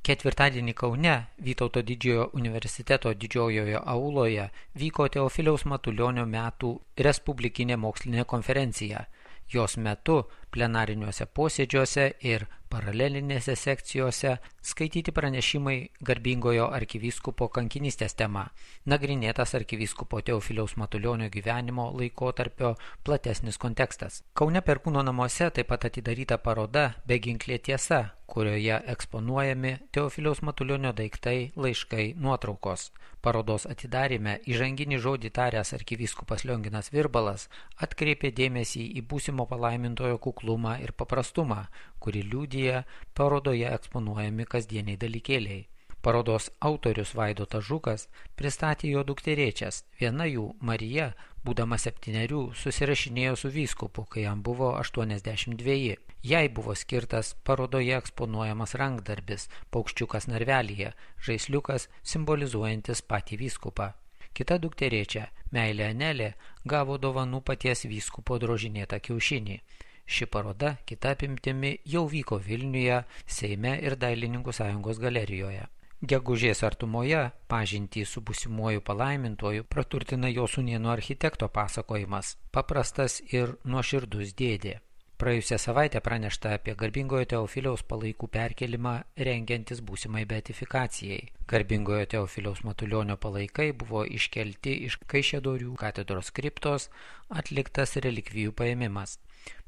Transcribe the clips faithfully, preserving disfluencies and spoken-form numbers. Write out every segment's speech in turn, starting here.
Ketvirtadienį Kaune Vytauto didžiojo universiteto didžiojoje auloje vyko Teofiliaus Matulionio metų respublikinė mokslinė konferencija. Jos metu plenariniuose posėdžiuose ir paralelinėse sekcijose skaityti pranešimai garbingojo arkivyskupo kankinystės tema, nagrinėtas arkivyskupo Teofiliaus Matulionio gyvenimo laikotarpio platesnis kontekstas. Kaune Perkūno namuose taip pat atidaryta paroda Beginklė tiesa, kurioje eksponuojami Teofiliaus Matulionio daiktai, laiškai, nuotraukos. Parodos atidaryme įžanginį žodį taręs arkivyskupas Lionginas Virbalas atkreipė dėmesį į būsimo palaimintojo kuklumą ir paprastumą, kurį liudija parodoje eksponuojami kasdieniai dalykėliai. Parodos autorius Vaidotas Žukas pristatė jo dukterėčias. Viena jų, Marija, būdama septynerių, susirašinėjo su vyskupu, kai jam buvo aštuoniasdešimt dveji. Jai buvo skirtas parodoje eksponuojamas rankdarbis, paukščiukas narvelyje, žaisliukas simbolizuojantis patį vyskupą. Kita dukterėčia, Meilė Anelė, gavo dovanų paties vyskupo drožinėtą kiaušinį. Ši paroda, kita apimtimi, jau vyko Vilniuje, Seime ir Dailininkų sąjungos galerijoje. Gegužės artumoje pažintį su būsimuoju palaimintuoju praturtina jo sūnėno architekto pasakojimas, paprastas ir nuoširdus dėdė. Praėjusią savaitę pranešta apie garbingojo Teofiliaus palaikų perkelimą rengiantis būsimai beatifikacijai. Garbingojo Teofiliaus Matulionio palaikai buvo iškelti iš Kaišiadorių katedros kriptos, atliktas relikvijų paėmimas.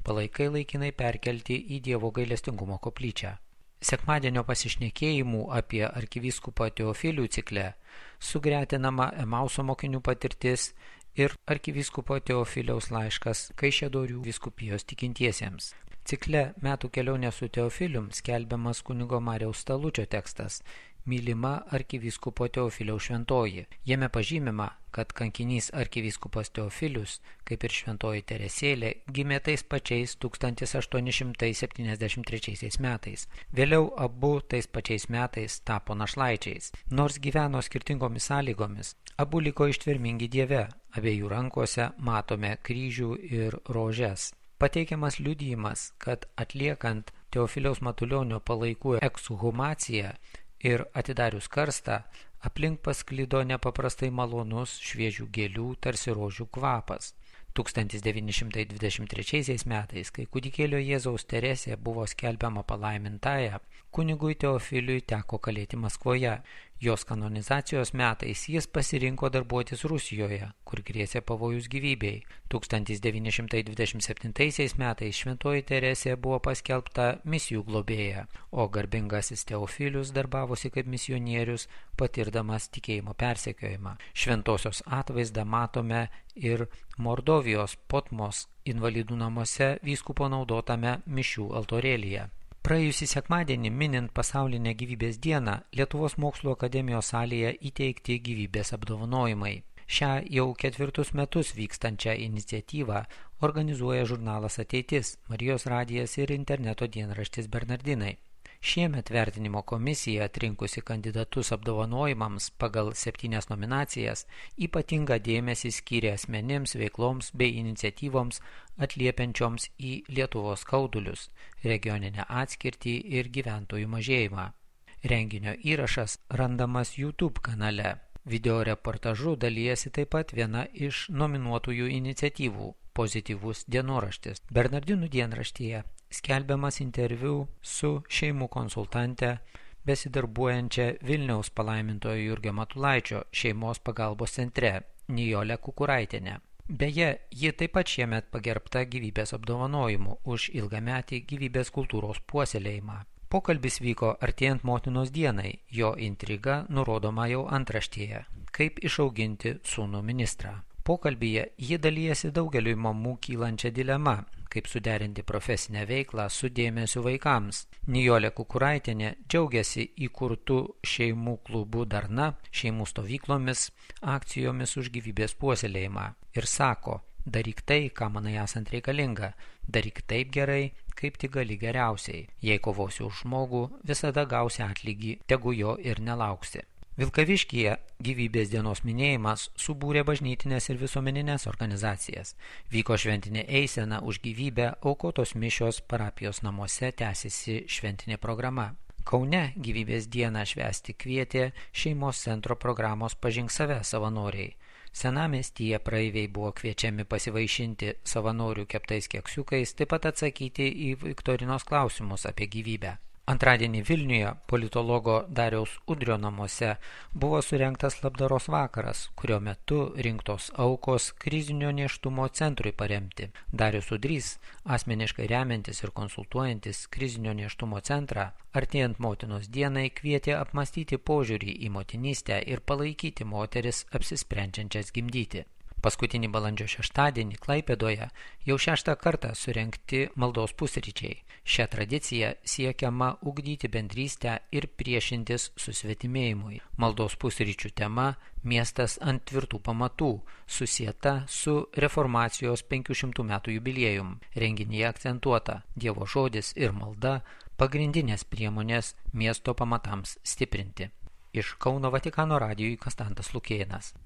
Palaikai laikinai perkelti į Dievo gailestingumo koplyčią. Sekmadienio pasišnekėjimų apie arkivyskupą Teofilių cikle sugretinama Emauso mokinių patirtis ir arkivyskupo Teofiliaus laiškas Kaišiadorių vyskupijos tikintiesiems. Cikle Metų kelionė su Teofilium skelbiamas kunigo Mariaus Stalučio tekstas Mylima arkivyskupo Teofiliaus šventoji. Jame pažymima, kad kankinys arkivyskupas Teofilius, kaip ir šventoji Teresėlė, gimė tais pačiais tūkstantis aštuoni šimtai septyniasdešimt trečiais metais. Vėliau abu tais pačiais metais tapo našlaičiais. Nors gyveno skirtingomis sąlygomis, abu liko ištvermingi Dieve, abiejų rankose matome kryžių ir rožes. Pateikiamas liudijimas, kad atliekant Teofiliaus Matulionio palaikų ekshumaciją ir atidarius karstą, aplink pasklido nepaprastai malonus šviežių gėlių tarsi rožių kvapas. tūkstantis devyni šimtai dvidešimt trečiais metais, kai kūdikėlio Jėzaus Teresė buvo skelbiama palaimintąja, kunigui Teofiliui teko kalėti Maskvoje. Jos kanonizacijos metais jis pasirinko darbuotis Rusijoje, kur grėsė pavojus gyvybei. tūkstantis devyni šimtai dvidešimt septintais metais šventoji Teresė buvo paskelbta misijų globėja, o garbingasis Teofilius darbavosi kaip misionierius, patirdamas tikėjimo persekiojimą. Šventosios atvaizdą matome ir Mordovijos Potmos invalidų namuose vyskupo naudotame mišių altorėlyje. Praėjusį sekmadienį, minint pasaulinę gyvybės dieną, Lietuvos mokslo akademijos salėje įteikti gyvybės apdovanojimai. Šią jau ketvirtus metus vykstančią iniciatyvą organizuoja žurnalas Ateitis, Marijos radijas ir interneto dienraštis Bernardinai. Šiemet vertinimo komisija, atrinkusi kandidatus apdovanojimams pagal septynias nominacijas, ypatingą dėmesį skyrė asmenims, veikloms bei iniciatyvoms atliepiančioms į Lietuvos skaudulius, regioninę atskirtį ir gyventojų mažėjimą. Renginio įrašas randamas YouTube kanale. Video reportažu dalyjasi taip pat viena iš nominuotųjų iniciatyvų – Pozityvus dienoraštis. Bernardinų dienraštyje skelbiamas interviu su šeimų konsultante besidarbuojančia Vilniaus palaimintojo Jurgio Matulaičio šeimos pagalbos centre Nijolė Kukuraitienė. Beje, ji taip pat šiemet pagerbta gyvybės apdovanojimu už ilgametį gyvybės kultūros puoselėjimą. Pokalbis vyko artėjant motinos dienai, jo intriga nurodoma jau antraštėje – kaip išauginti sūnų ministrą. Pokalbyje ji dalyjasi daugeliui mamų kylančią dilemą, kaip suderinti profesinę veiklą su dėmesiu vaikams. Nijolė Kukuraitienė džiaugiasi įkurtų šeimų klubų Darna, šeimų stovyklomis, akcijomis už gyvybės puoselėjimą ir sako, daryk tai, ką manai esant reikalinga, daryk taip gerai, kaip tik gali geriausiai. Jei kovosi už žmogų, visada gausi atlygį, tegu jo ir nelauksi. Vilkaviškyje gyvybės dienos minėjimas subūrė bažnytinės ir visuomeninės organizacijas. Vyko šventinė eisena už gyvybę, aukotos mišios, parapijos namuose tęsiasi šventinė programa. Kaune gyvybės dieną švęsti kvietė šeimos centro programos Pažink save savanoriai. Senamiestyje praeiviai buvo kviečiami pasivaišinti savanorių keptais keksiukais, taip pat atsakyti į viktorinos klausimus apie gyvybę. Antradienį Vilniuje politologo Dariaus Udrio namuose buvo surengtas labdaros vakaras, kurio metu rinktos aukos krizinio nėštumo centrui paremti. Darius Udrys, asmeniškai remiantis ir konsultuojantis krizinio nėštumo centrą, artėjant motinos dienai kvietė apmastyti požiūrį į motinystę ir palaikyti moteris apsisprendžiančias gimdyti. Paskutinį balandžio šeštadienį Klaipėdoje jau šeštą kartą surengti maldos pusryčiai. Šią tradiciją siekiama ugdyti bendrystę ir priešintis susvetimėjimui. Maldos pusryčių tema – miestas ant tvirtų pamatų, susieta su reformacijos penkių šimtų metų jubiliejum. Renginyje akcentuota Dievo žodis ir malda – pagrindinės priemonės miesto pamatams stiprinti. Iš Kauno Vatikano radijui Konstantas Lukėnas.